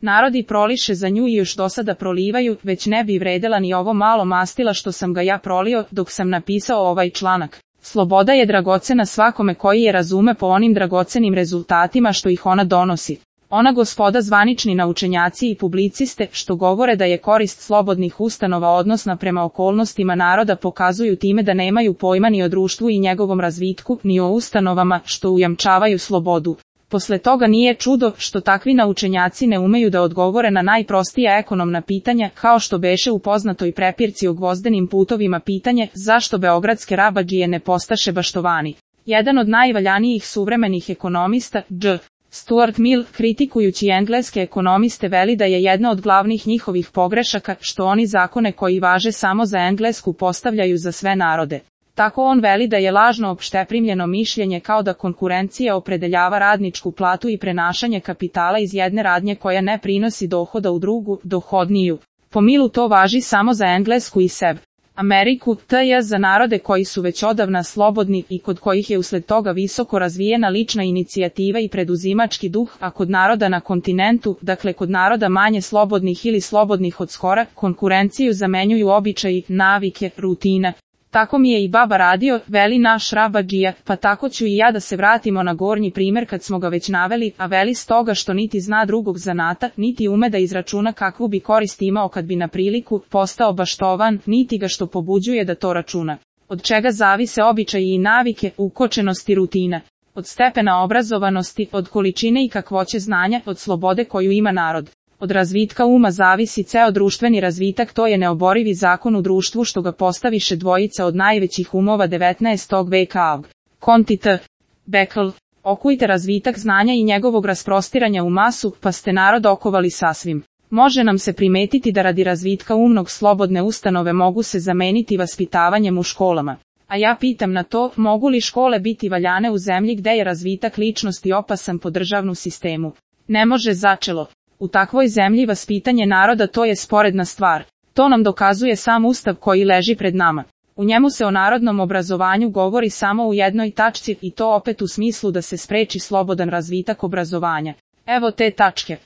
Narodi proliše za nju i još do sada prolivaju, već ne bi vredela ni ovo malo mastila što sam ga ja prolio dok sam napisao ovaj članak. Sloboda je dragocena svakome koji je razume po onim dragocenim rezultatima što ih ona donosi. Ona gospoda zvanični naučenjaci i publiciste što govore da je korist slobodnih ustanova odnosna prema okolnostima naroda pokazuju time da nemaju pojma ni o društvu i njegovom razvitku, ni o ustanovama što ujamčavaju slobodu. Posle toga nije čudo što takvi naučenjaci ne umeju da odgovore na najprostija ekonomna pitanja, kao što beše u poznatoj prepirci o gvozdenim putovima pitanje zašto beogradske rabadžije ne postaše baštovani. Jedan od najvaljanijih suvremenih ekonomista, Dž. Stuart Mill, kritikujući engleske ekonomiste veli da je jedna od glavnih njihovih pogrešaka što oni zakone koji važe samo za Englesku postavljaju za sve narode. Tako on veli da je lažno opšteprimljeno mišljenje kao da konkurencija opredeljava radničku platu i prenašanje kapitala iz jedne radnje koja ne prinosi dohoda u drugu, dohodniju. Po Millu to važi samo za Englesku i seb. Ameriku, tj. za narode koji su već odavna slobodni i kod kojih je usled toga visoko razvijena lična inicijativa i preduzimački duh, a kod naroda na kontinentu, dakle kod naroda manje slobodnih ili slobodnih od skora, konkurenciju zamenjuju običaji, navike, rutina. Tako mi je i baba radio, veli naš rabadžija, pa tako ću i ja da se vratimo na gornji primer kad smo ga već naveli, a veli stoga što niti zna drugog zanata, niti ume da izračuna kakvu bi korist imao kad bi na priliku postao baštovan, niti ga što pobuđuje da to računa. Od čega zavise običaji i navike, ukočenost i rutina. Od stepena obrazovanosti, od količine i kakvoće znanja, od slobode koju ima narod. Od razvitka uma zavisi ceo društveni razvitak, to je neoborivi zakon u društvu što ga postaviše dvojica od najvećih umova 19. veka. Conti T. Beckel. Okujte razvitak znanja i njegovog rasprostiranja u masu, pa ste narod okovali sasvim. Može nam se primetiti da radi razvitka umnog slobodne ustanove mogu se zameniti vaspitavanjem u školama. A ja pitam na to, mogu li škole biti valjane u zemlji gde je razvitak ličnosti opasan po državnu sistemu? Ne može začelo. U takvoj zemlji vaspitanje naroda to je sporedna stvar. To nam dokazuje sam Ustav koji leži pred nama. U njemu se o narodnom obrazovanju govori samo u jednoj tačci i to opet u smislu da se spreči slobodan razvitak obrazovanja. Evo te tačke.